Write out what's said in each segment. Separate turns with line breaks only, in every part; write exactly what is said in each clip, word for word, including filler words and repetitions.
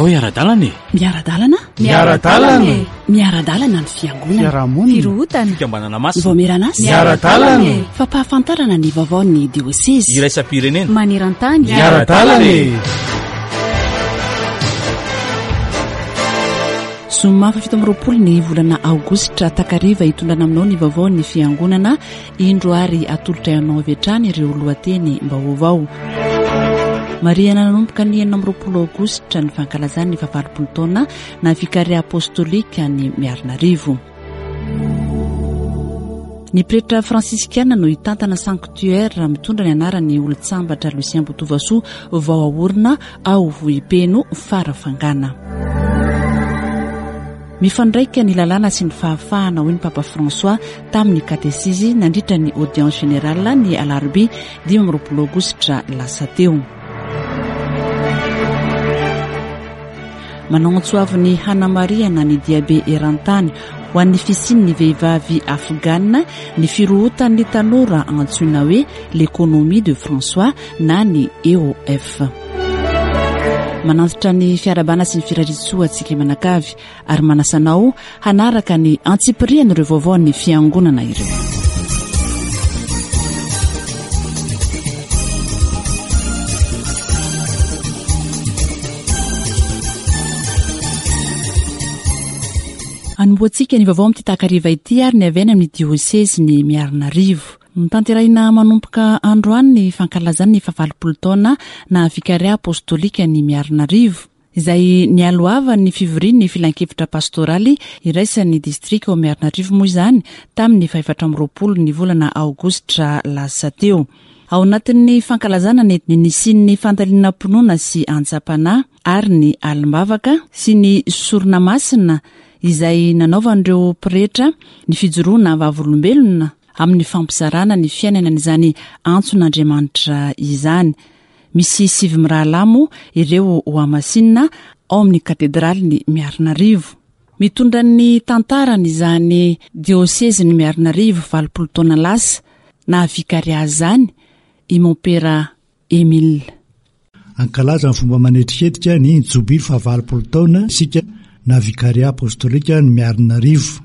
Andao hiara-dalana e!
Miara-dalana?
Miara-dalana e!
Miara-dalana ny fiangonana.
Fiarahamonina.
Firohotana.
Fikambanana masina.
Vaomieran'asa.
Miara-dalana e!
Fampahafantarana ny vaovaon'ny diosezy.
Iraisam-pirenena.
Maneran-tany.
Miara-dalana e!
Zoma fahafito amby roapolo ny volana aogositra takariva hitondrana aminao ny vaovaon'ny fiangonana. Indro ary atolotra ianao avy hatrany ireo lohateny mbaovao. Marihana nanomboka ny enina amby roapolo aogositra ny fankalazana ny fahavalopolo taona na vikaria apostolika ny Miarinarivo. Ny pretra fransiskana no hitantana sanctuaire mitondra ny anaran'ny olon-tsambatra Lucien Botovasoa vao aorina ao Vohipeno Farafangana. Mifandraika ny lalàna sy ny fahafahana, hoy ny Papa François tamin'ny katesizy nandritra ny audience générale ny alarobia dimy amby roapolo aogositra lasa teo. Manao antso avo ny hanamarihana ny diabe eran-tany ho an'ny fisian'ny vehivavy afghane ny firohotan'ny tanora antsoina hoe l'économie de François na ny E O F. Manantitra ny fiarahabana sy ny firariantsoa antsika manakavy ary manasa anao hanaraka ny antsipirian'ireo vaovaon'ny fiangonana ireo. Anombohantsika ny vaovao amin'ity takariva ity ary ny avy any amin'ny diosezy ny Miarinarivo. Notanterahina manomboka androany ny fankalazana ny fahavalopolo taona na vikaria apostolika ny Miarinarivo, izay nialohavan'ny fivorian'ny filankevitra pastoraly iraisan'ny distrika ao Miarinarivo moa izany tamin'ny fahefatra amby roapolo ny volana aogositra lasa teo. Ao anatin'ny fankalazana ny nisian'ny fandalinam-pinoana sy antsam-panahy ary ny alim-bavaka sy ny sorona masina izay nanaovan'ireo pretra ny fijoroana vavolombelona amin'ny fampizarana ny fiainana an'izany antson'Andriamanitra izany. Misy sivy mirahalahy moa ireo hohamasinina ao amin'ny katedralin'ny Miarinarivo. Mitondra ny tantarany izany diosezin'ny Miarinarivo valopolo taona lasa na vikaria izany i Mompera Emile.
Ankalaza ny fomba manetriketrika ny jobily fahavalopolo taona isika na vikaria apostolika ny Miarinarivo.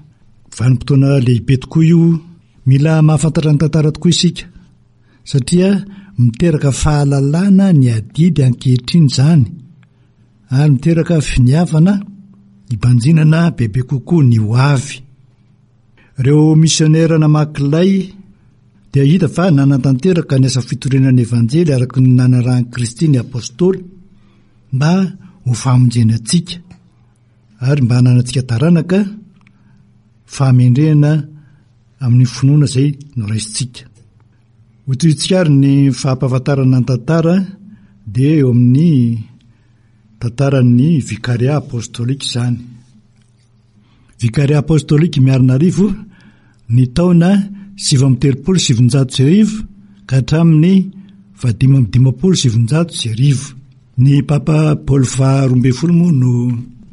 Vanim-potoana lehibe tokoa io. Mila mahafantatra ny tantara tokoa isika satria miteraka fahalalana ny adidy ankehitriny izany ary miteraka finiavana hibanjinana bebe kokoa ny ho avy. Ireo misionera namaky lay dia hita fa nanatanteraka ny asa fitoriana ny Evanjely araka ny nanarahan'i Kristy ny apôstôly mba ho famonjena antsika ary mba hananantsika taranaka fahamendrehana amin'ny finoana izay noraisintsika. Ho tohintsika ary ny fampahafantarana ny tantara dia eo amin'ny tantaran'ny vikaria apostolika izany. Vikaria apostolika Miarinarivo ny taona sivy amby telopolo sy sivinjato sy arivo ka hatramin'ny fahadimy amby dimampolo sy sivinjato sy arivo. Ny Papa Paoly faharoa ambin'ny folo moa no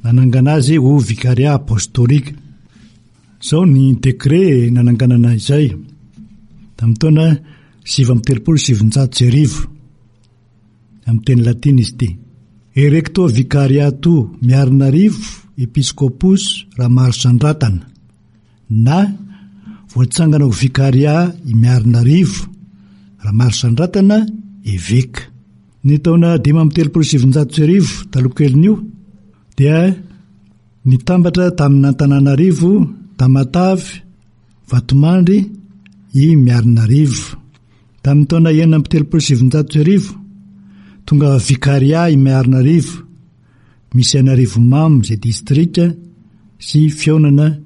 nanangana azy ho vikaria apostolika. Izao ny décret nananganana izay tamin'ny taona sivy amby telopolo sy sivinjato sy arivo. Amin'ny teny latina izy ity. Erecto vicariato Miarinarivo Episcopus Ramarosandratana na voatsangana ho vikaria i Miarinarivo Ramarosandratana eveka. Ny taona dimy amby telopolo sy sivinjato sy arivo taloha kelin'io dia nitambatra tamin'Antananarivo, Tamatave, Vatomandry i Miarinarivo. Tamin'ny taona enina amby telopolo sy sivinjato sy arivo tonga vikaria i Miarinarivo, misy an'Arivonimamo izay distrika sy fihaonana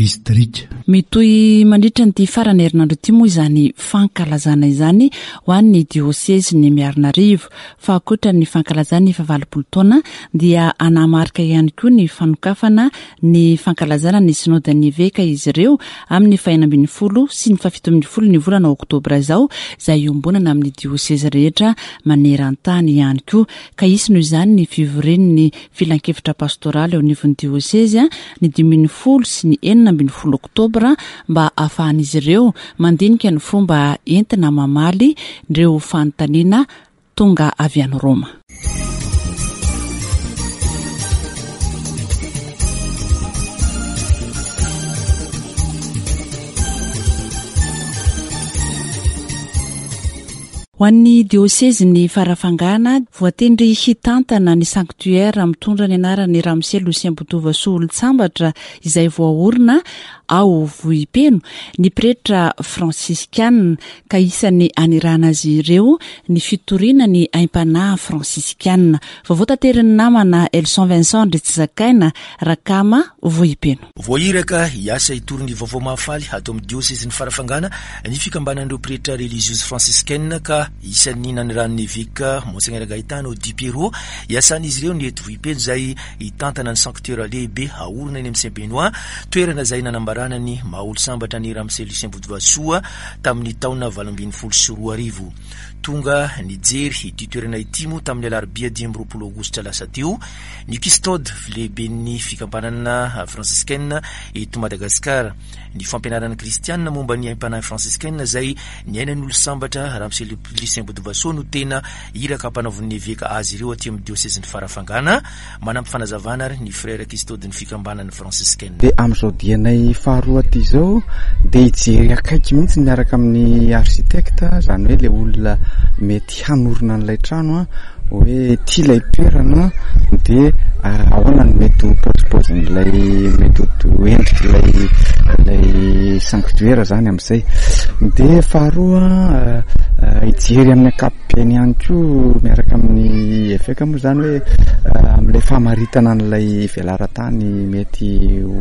distrika.
Mitohy mandritra ny farany herinandro ity moa izany fankalazana izany ho an'ny diosezin'ny Miarinarivo. Fa ankoatra ny fankalazana ny fahavalopolo taona dia hanamarika ihany koa ny fanokafana ny fankalazana ny sinodan'ny eveka izy ireo amin'ny fahenina ambin'ny folo sy ny fahafito ambin'ny folo ny volana oktobra izao, izay iombonana amin'ny diosezy rehetra maneran-tany ihany koa. Ka hisy noho izany ny fivorian'ny filankevitra pastoraly eo anivon'ny diosezy ny dimy ambin'ny folo sy ny enina ambin'ny folo oktobra mba ahafahan'izy ireo mandinika ny fomba entina mamaly ireo fanontaniana tonga avy any Roma. Ho an'ny diosezin'ny Farafangana, voatendry hitantana ny sanctuaire mitondra ny anaran'ny Ramose Lucien Botovasoa Olontsambatra izay voaorina ao Vohipeno ny pretra fransiskana, ka isan'ny anirana azy ireo ny fitoriana ny aim-panahy fransiskana. Vaovao taterin'ny namana Elson Vincent Andritsizakaina, Rakama, Vohipeno.
Voahiraka hiasa hitory ny vaovao mahafaly ato amin'ny diosezin'ny Farafangana ny fikambanan'ireo pretra religieuse franciscaine, ka isan'ny naniran'ny eveka Monseigneur Gaetano Di Piero hiasan'izy ireo ny eto Vohipeno izay hitantana ny sanctuaire lehibe haorina eny amin'ny Saint Benoît, toerana izay nanambarana ny maha olon-sambatra ny Ramose Lucien Botovasoa tamin'ny taona valo ambin'ny folo sy roa arivo. Tonga nijery ity toerana ity moa tamin'ny alarobia dimy amby roapolo aogositra lasa teo ny custode lehiben'ny fikambanana franciscaine eto Madagasikara. Ny fampianarana kristianina momba ny aim-panahy franciscaine izay niainan'ny olon-sambatra Ramose Lucien Botovasoa no tena iraka ampanaovin'ny eveka azy ireo aty amin'ny diosezin'ny Farafangana. Manampy fanazavana ary ny frère custode ny fikambanana franciscaine.
Dia amin'izao dianay faharoa aty izao dia hijery akaiky mihitsy miaraka amin'ny architecte, izany hoe ilay olona mety hanorina an'ilay trano, hoe tia ilay toerana, dia ahoana no mety ho paozipaozin'ilay, mety ho endrik'ilay ilay sanctuaire zany amin'izay. Dia faharoa hijery amin'ny ankapobeny ihany koa miaraka amin'ny eveka moa zany hoe amin'ilay famaritana an'ilay velaran-tany mety ho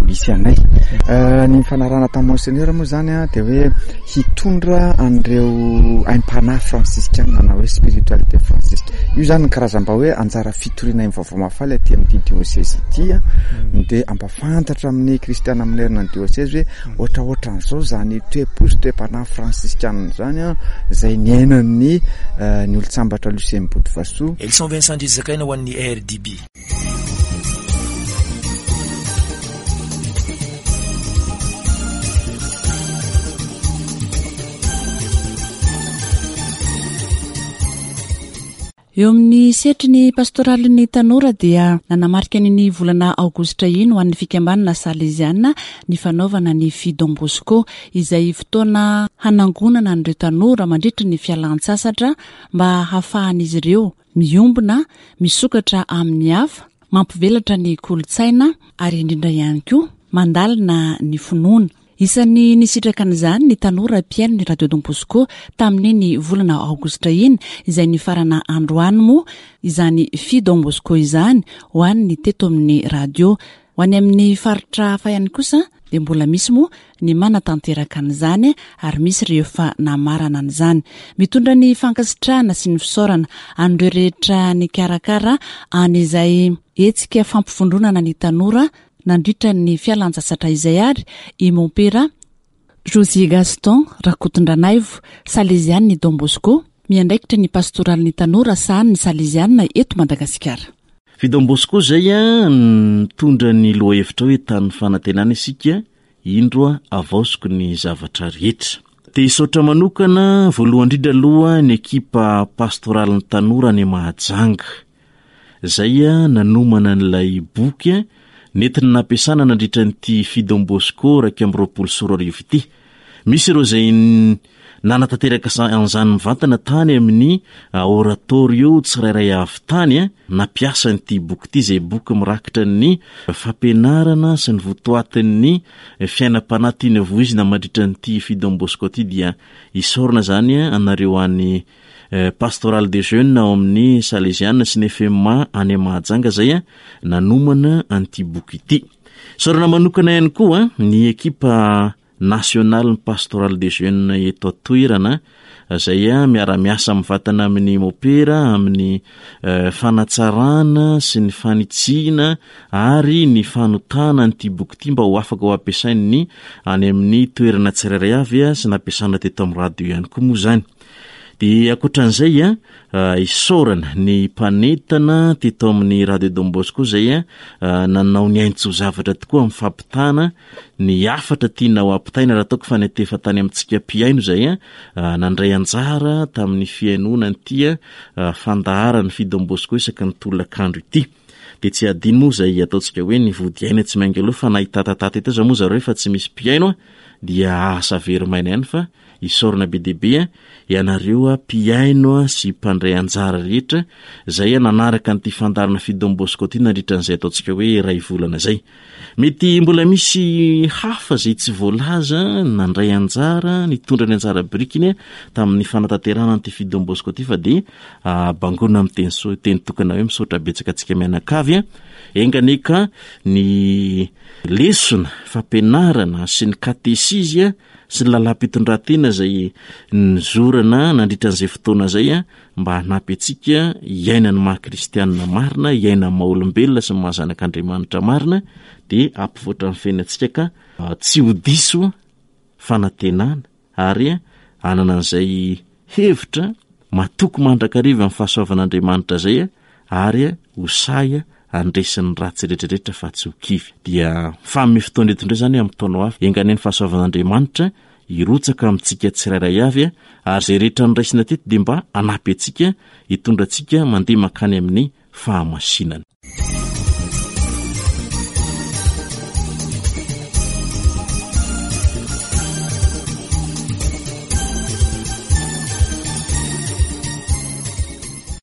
hisy anay. Ny fanarahana tamin'ny Monseigneur moa zany dia hoe hitondra an'ireo aim-panahy fransiskana na hoe spiritualité fransiska. Io zany ny karazam-ba hoe anjara fitoriana ny vaovao mahafaly aty amin'ity diocèse ity, dia ampafantatra amin'ny kristiana manerana ny diocèse hoe ohatraohatran'izao zany toe-po sy toe-panahy fransiskana zany izay niainan'ny ny olon-tsambatra Lucien Botovasoa.
Elson Vincent Andrizakaina ho an'ny R D B.
Eo amin'ny sehatry ny pastoralin'ny tanora dia nanamarika ny ny volana aogositra iny ho an'ny fikambanana Salesiana ny fanaovana ny Fi Don Bosco, izay fotoana hanangonana an'ireo tanora mandritra ny fialan-tsasatra mba hahafahan'izy ireo miombona, misokatra amin'ny hafa, mampivelatra ny kolontsaina ary indrindra ihany koa mandalina ny finoana. Isan'ny nisitraka an'izany ny tanora mpihaino ny Radio Don Bosco tamin'iny volana aogositra iny, izay nifarana androany moa izany Fi Don Bosco izany ho an'ny teto amin'ny radio. Ho any amin'ny faritra hafa ihany kosa dia mbola misy moa ny manatanteraka an'izany ary misy rehefa namarana an'izany. Mitondra ny fankasitrahana sy ny fisaorana an'ireo rehetra nikarakara an'izay hetsika fampivondronana ny tanora nandritra ny fialan-tsasatra izay ary i Mompera José Gaston Rakotondranaivo, Salesian'ny Don Bosco, miandraikitra ny pastoralin'ny tanora sahanin'ny Salesiana eto Madagasikara.
Fi Don Bosco izay a, nitondra ny lohahevitra hoe tany fanantenana isika, indro a, avaoziko ny zavatra rehetra. Te hisaotra manokana voalohany indrindra aloha ny ekipa pastoralin'ny tanora any Mahajanga, izay a, nanomana an'ilay boky a, nentina nampiasana nandritra an'ity Fi Don Bosco iraika amby roapolo sy roa arivo ity. Misy ireo izay n-, nanatanteraka sa-, an'izany mivantana tany amin'ny oratorio tsirairay avy tany, a, nampiasa an'ity boky ity, izay boky mirakitra ny fampianarana sy ny votoatin'ny fiainam-panahy tiana voizina mandritra an'ity Fi Don Bosco ity. Dia isaorana izany, a, anareo any, eh, Pastoral des Jeunes ao amin'ny Salesiana sy ny F M A any Mahajanga izay, a, nanomana an'ity boky ity. Isaorana manokana ihany koa, a, ny ekipa nasionaly ny Pastoral des Jeunes eto an-toerana, izay, a, miara-miasa mivantana amin'ny mopera, amin'ny, eh, fanatsarana sy ny fanitsiana ary ny fanotana an'ity boky ity mba ho afaka ho ampiasain'ny any amin'ny toerana tsirairay avy, a, sy nampiasana teto amin'ny radio ihany koa moa izany. Dia ankoatran'izay, a, a, isaorana ny mpanentana teto amin'ny Radio Don Bosco izay, a, a, nanao ny aintso zavatra tokoa amin'ny fampitana ny hafatra tiana ho ampitaina, raha ataoko fa niantefa tany amintsika mpihaino izay, a, a, nandray anjara tamin'ny fihainoana an'ity, a, a, fandaharan'ny Fi Don Bosco isaky ny tolakandro ity. Dia tsy adino moa izay ataontsika hoe ny vody aina tsy miainga aloha, fa na hitatatata eto aza moa zareo efa tsy misy mpihaino, a, dia asa very maina ihany fa Isaorana be dia be ianareo mpihaino sy mpandray anjara rehetra izay nanaraka an'ity fandaharana Fille Don Bosco ity nandritra an'izay ataontsika hoe iray volana izay. Mety mbola misy hafa izay tsy voalaza nandray anjara, nitondra ny anjara birikiny tamin'ny fanatanterahana an'ity Fille Don Bosco ity, fa dia bangona amin'ny teny so-, teny tokana hoe misaotra betsaka antsika mianakavy. Enga anie ka ny lesona fampianarana sy ny katesizy sy ny lalam-pitondran-tena izay nizorana nandritra an'izay fotoana izay mba hanampy antsika hiaina ny maha kristianina marina, hiaina ny maha olombelona sy ny maha zanak'Andriamanitra marina, dia hampivoatra ny fiainantsika ka tsy ho diso fanantenana ary hanana an'izay hevitra matoky mandrakariva amin'ny fahasoavan'Andriamanitra izay ary ho sahy handresy ny ratsy rehetrarehetra fa tsy ho kivy. Dia mifanome fotoana eto indray izany amin'ny taona ho avy. Enga anie ny fahasoavan'Andriamanitra hirotsaka amintsika tsirairay avy, ary izay rehetra noraisina teto dia mba hanampy antsika hitondra antsika mandeha mankany amin'ny fahamasinana.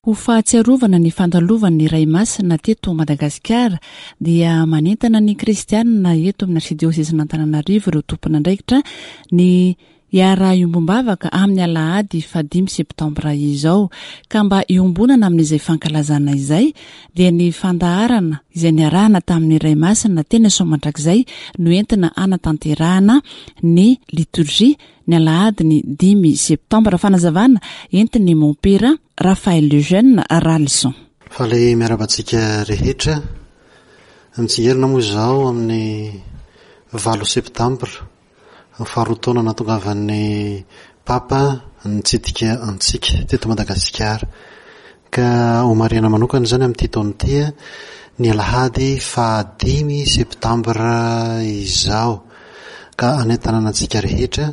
Ho fahatsiarovana ny fandalovan'ny Ray Masina teto Madagasikara dia manentana ny kristianina eto amin'ny arsidiosezin'Antananarivo ireo tompon'andraikitra ny hiara-hiombom-bavaka amin'ny alahady fahadimy septambra izao, ka mba hiombonana amin'izay fankalazana izay dia ny fandaharana izay niarahana tamin'ny Ray Masina teny Soamandrakizay no entina hanatanterahana ny liturgie ny alahady ny dimy septambra. Fanazavana entin'ny mompera Raphaël Lejeune Ralison.
Faly miarahaba antsika rehetra. Mitsingerina moa izao amin'ny valo septambra, faharoa taona nahatongavan'ny Papa nitsidika antsika teto Madagasikara. Ka homarihana manokana izany amin'ity taona ity ny alahady fahadimy septambra izao, ka hanentanana antsika rehetra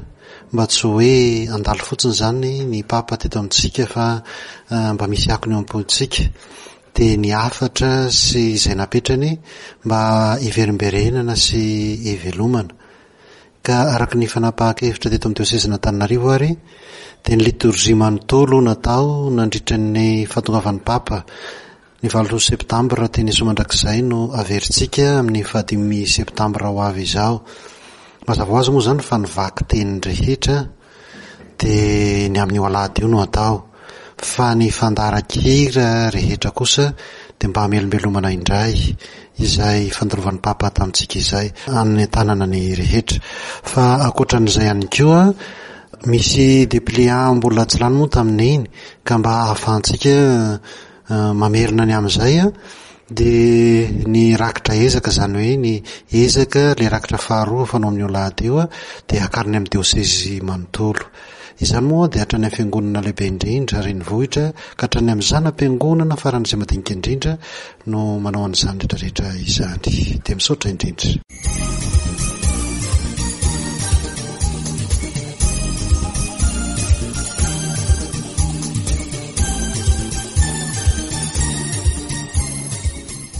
mba tsy hoe handalo fotsiny izany ny Papa teto amintsika fa mba misy akony eo am-pontsika. Dia ny hafatra sy izay napetrany mba hiverimberenana sy hivelomana. Ka araka ny fanapahan-kevitra teto amin'ny diosezin'Antananarivo ary dia ny liturgie manontolo natao nandritra ny fahatongavan'ny Papa ny valo septambra teny Soamandrakizay no averintsika amin'ny fahadimy septambra ho avy izao. Mazava ho azy moa izany fa ny vakiteny rehetra dia ny amin'io alahady io no atao, fa ny fandaharan-kira rehetra kosa dia mba hamelombelomana indray izay fandalovan'ny Papa tamintsika izay, hanentanana ny rehetra. Fa ankoatran'izay ihany koa misy dépliant mbola tsy lany moa tamin'iny, ka mba ahafahantsika mamerina ny amin'izay dia ny rakitra ezaka, izany hoe ny ezaka le rakitra faharoa fanao amin'io alahady io dia hakariny amin'ny diosezy manontolo. Izany moa dia hatrany amin'ny fiangonana lehibe indrindra renivohitra ka hatrany amin'ny zana-piangonana faran'izay madinika indrindra no manao an'izany rehetrarehetra izany. Dia misaotra indrindra.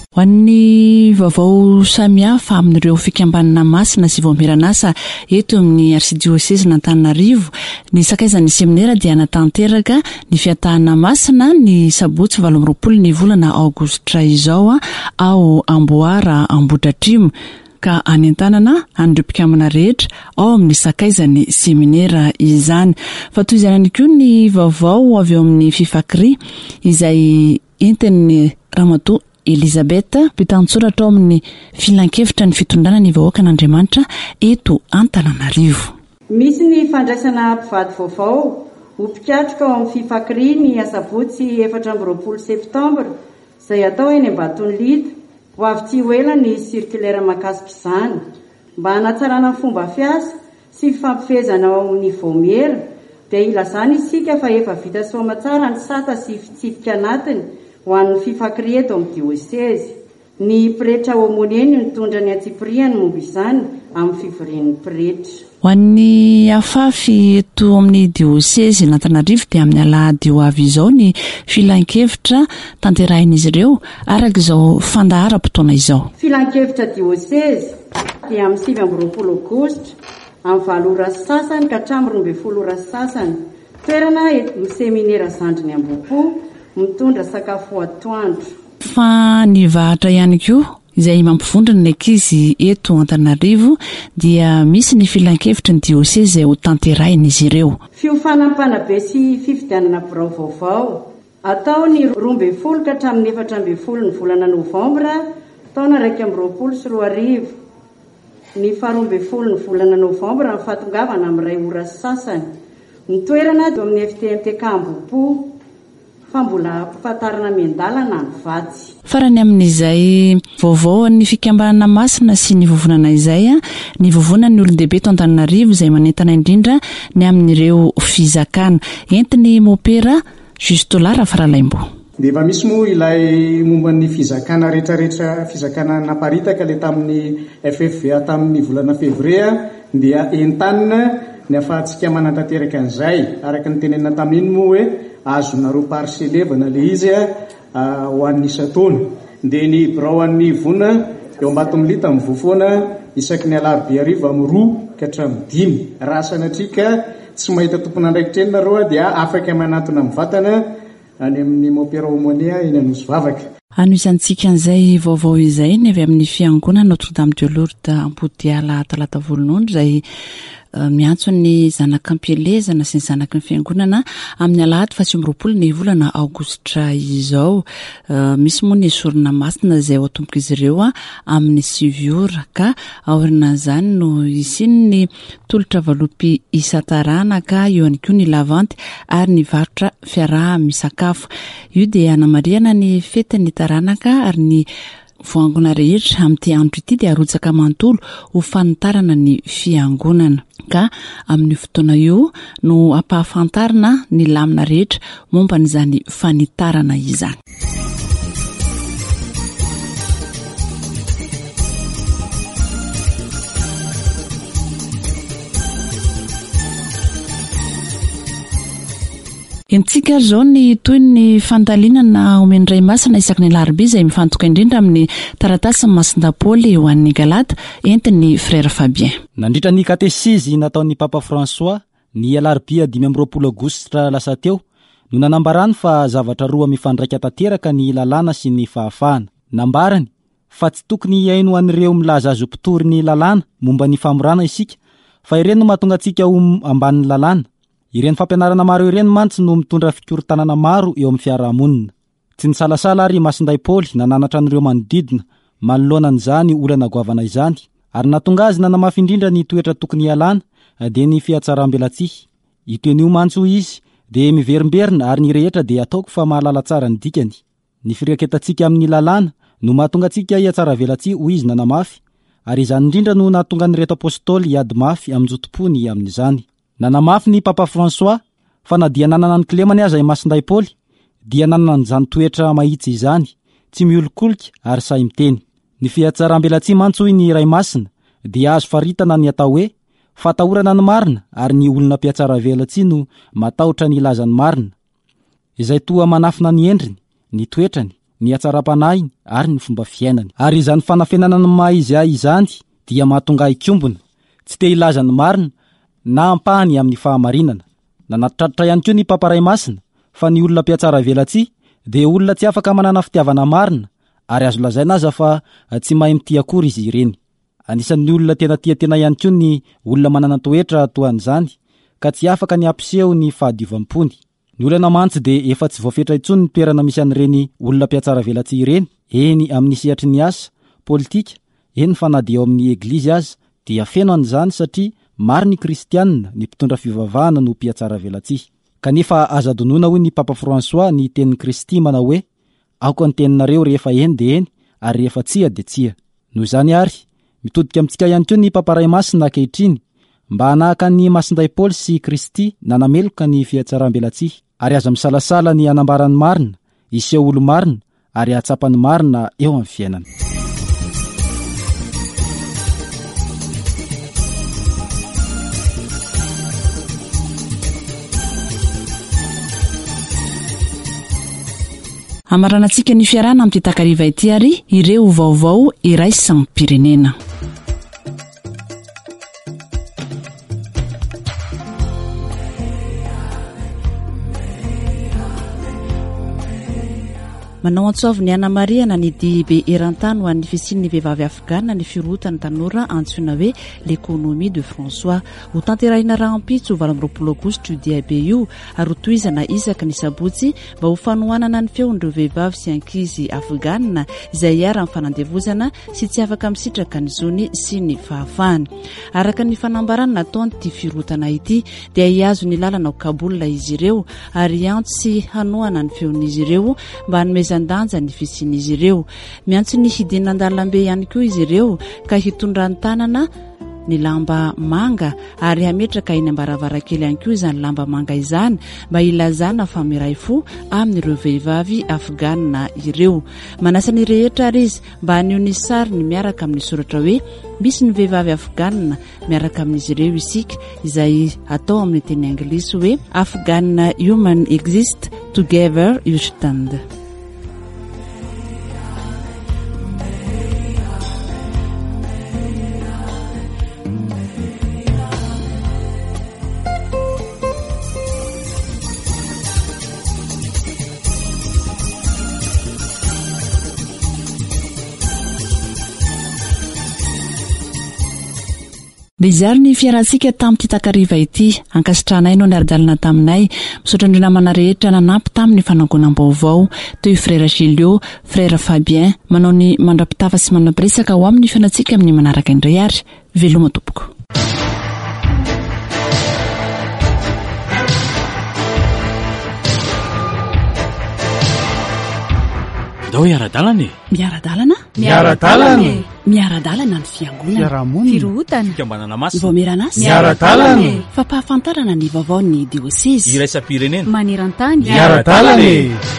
Ho an'ny vaovao samihafa amin'ireo fikambanana masina sy vaomieran'asa eto amin'ny arsidiosezin'Antananarivo, ny sakaizan'ny seminera dia hanatanteraka ny fiatahana masina ny sabotsy valo amby roapolo ny volana aogositra izao ao Amboara Ambohidratrimo, ka hanentanana an'ireo mpikambana rehetra ao amin'ny sakaizan'ny seminera izany. Fa toy izany ihany koa ny vaovao avy eo amin'ny Fifakri izay entin'ny Ramatoa Elizabeth, mpitantsoratra ao amin'ny filankevitra ny fitondrana ny vahoakan'Andriamanitra eto Antananarivo.
Misy ny fandraisana mpivady vaovao ho mpikatroka ao amin'ny Fifakri ny asabotsy efatra amby roapolo septambra izay atao eny Ambatonilita. Ho avy tsy ho ela ny circulaire mahakasika izany mba hanatsarana ny fomba fiasa sy fifampifehezana ao amin'ny vaomiera. Dia ilazana isika fa efa vita soamatsara ny sata sy fitsipika anatiny ho an'ny Fifakri eto amin'ny diosezy. Ny pretra aumônier no nitondra ny antsipiriany momba izany amin'ny fivorian'ny pretra.
Ho an'ny afafy eto amin'ny diosezy Antananarivo dia amin'ny alahady ho avy izao ny filankevitra tanterahin'izy ireo araka izao fandaharam-potoana izao.
Filankevitra diosezy dia amin'ny sivy amby roapolo aogositra amin'ny valo ora sy sasany ka hatramin'ny roa ambin'ny folo ora sy sasany. Toerana eto seminera Zandriny Ambohipo, mitondra sakafo atoandro.
Fa ny vahatra ihany koa izay mampivondrona ny ankizy eto Antananarivo dia misy ny filankevitry ny diosezy izay ho tanterahin'izy ireo.
Fiofanam-panabe sy fifidianana birao vaovao atao ny roa ambin'ny folo ka hatramin'ny efatra ambin'ny folo ny volana novambra taona iraika amby roapolo sy roa arivo. Ny faharoa ambin'ny folo ny volana novambra ny fahatongavana amin'ny iray ora sy sasany. Ny toerana eo amin'ny F T M T K Ambohipo, fa mbola ampahafantarana miandalana ny vatsy.
Farany amin'izay vaovao an'ny fikambanana masina sy ny vovonana izay, ny vovonan'ny olon-dehibe eto Antananarivo izay manentana indrindra ny amin'ireo fizakana. Entiny mopera Justola Rafaralaimbo.
Dia efa misy moa ilay momba ny fizakana rehetrarehetra, fizakana naparitaka ilay tamin'ny F F V A tamin'ny volana fevrier, dia entanina ny ahafahantsika manatanteraka an'izay. Araka ny tenenina tamin'iny moa hoe azonareo parcelevana ilay izy ho an'ny isan-taona. Dia ny birao an'ny vona eo Ambatomilita mivoha foana isaky ny alarobia hariva amin'ny roa ka hatramin'ny dimy. Raha sanatria ka tsy mahita tompon'andraikitra eny nareo dia afaka manatona mivantana any amin'ny Mopera Omonia eny Anosivavaka.
Anohizantsika an'izay vaovao izay ny avy amin'ny fiangonana Notre Dame de Lourdes Ampodiala Talata Volonondry izay miantso ny zanak'ampielezana sy ny zanaky ny fiangonana amin'ny alahady faha sivy amby roapolo ny volana aogositra izao. Misy moa ny sorona masina izay ho atombok'izy ireo amin'ny sivy ora ka aorianan'izany no hisian'ny tolotra valopy isan-taranaka, eo ihany koa ny lavanty ary ny varotra fiaraha-misakafo. Io dia anamarihana ny fetin'ny taranaka ary ny voangona rehetra amin'ity andro ity dia arotsaka manontolo ho fanitarana ny fiangonana. Ka amin'io fotoana io no ampahafantarina ny lamina rehetra momba an'izany fanitarana izany. Entsika ary izao ny toy ny fandalinana omen'ny Ray Masina isaky ny alarobia izay mifantoka indrindra amin'ny taratasy Masindahy Paoly ho an'ny Galata entin'ny Frère Fabien.
Nandritra ny katesizy nataon'ny Papa François ny alarobia dimy amby roapolo aogositra lasa teo no nanambarany fa zavatra roa mifandraika tanteraka ny lalàna sy ny fahafahana. Nambarany fa tsy tokony hihaino an'ireo milaza azy ho mpitory ny lalàna momba ny famorana isika, fa ireny no mahatonga antsika ho ambanin'ny lalàna. Ireny fampianarana maro ireny mantsy no mitondra fikorontanana maro eo amin'ny fiarahamonina. Tsy nisalasala ary Masindahy Paoly nananatra an'ireo manodidina manoloana an'izany olana goavana izany, ary nahatonga azy nanamafy indrindra ny toetra tokony hialana dia ny fihatsarambelatsihy. Io teny io mantsy hoy izy dia miverimberina ary ny rehetra dia ataoko fa mahalala tsara ny dikany. Ny fireketantsika amin'ny lalàna no mahatonga antsika hihatsaravelatsihy hoy izy nanamafy, ary izany indrindra no nahatonga an'ireto apôstôly hiady mafy amin-jotom-pony amin'izany. Nanamafy ny Papa François fa na dia nanana ny kilemany aza i Masindahy Paoly dia nanana an'izany toetra mahitsy izany, tsy miolikolika ary sahy miteny. Ny fihatsarambelatsihy mantsy hoy ny Ray Masina dia azo faritana ny atao hoe fatahorana ny marina, ary ny olona mpihatsaravelatsihy no matahotra ny hilaza ny marina, izay toa manafina ny endriny, ny toetrany, ny hatsaram-panahiny ary ny fomba fiainany. Ary izany fanafenana ny maha izy ahy izany dia mahatonga ahy hikombona, tsy te hilaza ny marina na ampahany amin'ny fahamarinana. Nanatitraritra ihany koa ny Papa Ray Masina fa ny olona mpihatsaravelatsihy dia olona tsy afaka manana fitiavana marina, ary azo lazaina aza fa tsy mahay mitia akory izy ireny. Anisan'ny olona tena tia tena ihany koa ny olona manana toetra toa an'izany, ka tsy afaka ny hampiseho ny fahadiovam-pony. Ny olana mantsy dia efa tsy voafetra intsony ny toerana misy an'ireny olona mpihatsaravelatsihy ireny, eny amin'ny sehatry ny asa, politika, eny fa na dia eo amin'ny eglizy aza dia feno an'izany satria maro ny kristianina, ny mpitondra fivavahana no mpihatsaravelatsihy. Kanefa aza adinoina hoy ny Papa François ny tenin'i Kristy manao hoe aoka ny teninareo rehefa eny dia eny ary rehefa tsia dia tsia. Noho izany ary, mitodika amintsika ihany koa ny Papa Ray Masina ankehitriny mba hanahaka ny Masindahy Paoly sy Kristy nanameloka ny fihatsarambelatsihy, ary aza misalasala ny hanambara ny marina, hiseho olo-marina ary hahatsapa ny marina eo amin'ny fiainana.
Amaranantsika ny fiarahana amin'ity takariva ity ary ireo vaovao iraisam-pirenena. Manao antso avo ny hanamarihana ny dihibe eran-tany ho an'ny fisian'ny vehivavy afghana ny firohotan'ny tanora antsoina hoe l'économie de François. Ho tanterahina rahampitso valo amby roapolo aogositra io diabe io ary hotohizana isaky ny sabotsy mba ho fanohanana ny feon'ireo vehivavy sy ankizy afghana izay iharan'ny fanandevozana sy tsy afaka misitraka ny zony sy ny fahafahany. Araka ny fanambarana nataon'ity firohotana ity dia hihazo ny lalana ao Kaboul izy ireo ary hiantso sy hanohana ny feon'izy ireo mba hanomezan-danja ny fisian'izy ireo. Miantso ny hidinana an-dalambe ihany koa izy ireo ka hitondra ny tanana ny lamba manga ary hametraka eny am-baravarankely ihany koa izany lamba manga izany mba hilazana fa miray fo amin'ireo vehivavy afghana ireo. Manasa ny rehetra ary izy mba haneho ny sariny miaraka amin'ny soratra hoe misy ny vehivavy afghana miaraka amin'izy ireo isika, izay atao amin'ny teny anglisy hoe Afghan Women Exist Together You Stand. Dia izary ny fiarantsika tamin'ity takariva ity. Ankasitrahanay no niara-dalana taminay. Misaotra an'ireo namana rehetra nanampy tamin'ny fanangonam-baovao, toy Frère Gilio, Frère Fabien. Manao ny mandra-pitafa sy manam-piresaka ho amin'ny fiainantsika amin'ny manaraka indray ary. Veloma tompoko.
Ndao hiara-dalana e.
Miara-dalana?
Miara-dalana e.
Miara-dalana ny fiangonana.
Fiarahamonina.
Firohotana.
Fikambanana masina.
Vaomieran'asa.
Miara-dalana e.
Fampahafantarana ny vaovaon'ny diosezy.
Iraisam-pirenena.
Maneran-tany.
Miara-dalana e.